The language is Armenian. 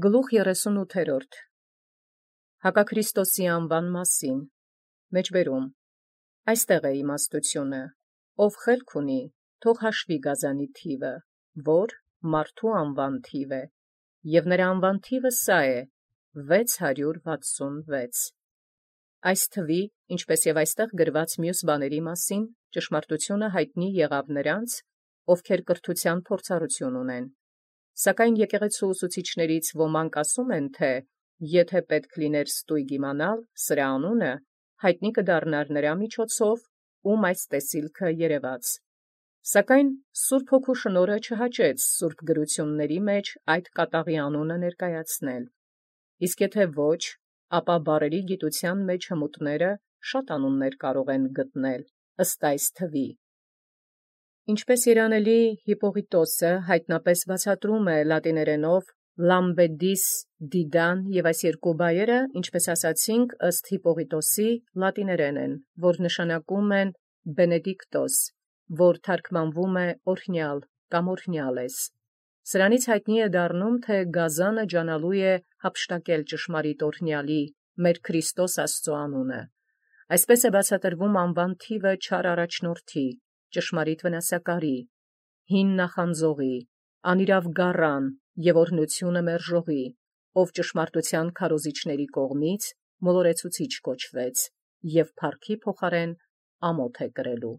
Գլուխ 38 Հակաքրիստոսի անվան մասին մեջբերում այստեղ է իմաստությունը, ով խելք ունի, թող հաշվի գազանի թիվը, որ մարդու անվան թիվ է, և նրա անվան թիվը սա է 666. Այս թվի, ինչպես և այստեղ գրված մյուս բաների մասին, ճշմարտությունը հայտնի եղավ նրանց, ովքեր կրթության փորձառություն ունեն. Սակայն եկեղեցու ուսուցիչներից ոմանք ասում են, թե եթե պետք լիներ ստույգ իմանալ սրա անունը, հայտնի կդառնար նրա միջոցով, ում այս տեսիլքը երևաց. Սակայն Սուրբ Հոգու շնորհը չհաճեց սուրբ գրությունների մեջ այդ կատաղի անունը ներկայացնել. իսկ եթե ոչ, ապա բառերի գիտության մեջ հմուտները շատ անուններ կարող են գտնել ըստ այս թվի. Ինչպես երանելի Հիպպողիտոսը հայտնապես բացատրում է լատիներենով լամբեդիս դիդան և այս երկու բայերը, ինչպես ասացինք, ըստ Հիպպողիտոսի լատիներեն են, որ նշանակում են Բենեդիկտոս, որ թարգմանվում է օրհնյալ կամ օրհնյալ ես. Սրանից հայտնի է դառնում, թե գազանը ջանալու է հափշտակել ճշմարիտ օրհնյալի, մեր Քրիստոս Աստծո անունը. Այսպես է բացատրվում անվան թիվը չար առաջնորդի, ճշմարիտ վնասակարի, հին նախանձողի, անիրավ գառան և օրհնությունը մերժողի, ով ճշմարտության քարոզիչների կողմից մոլորեցուցիչ կոչվեց և փառքի փոխարեն ամոթ է կրելու։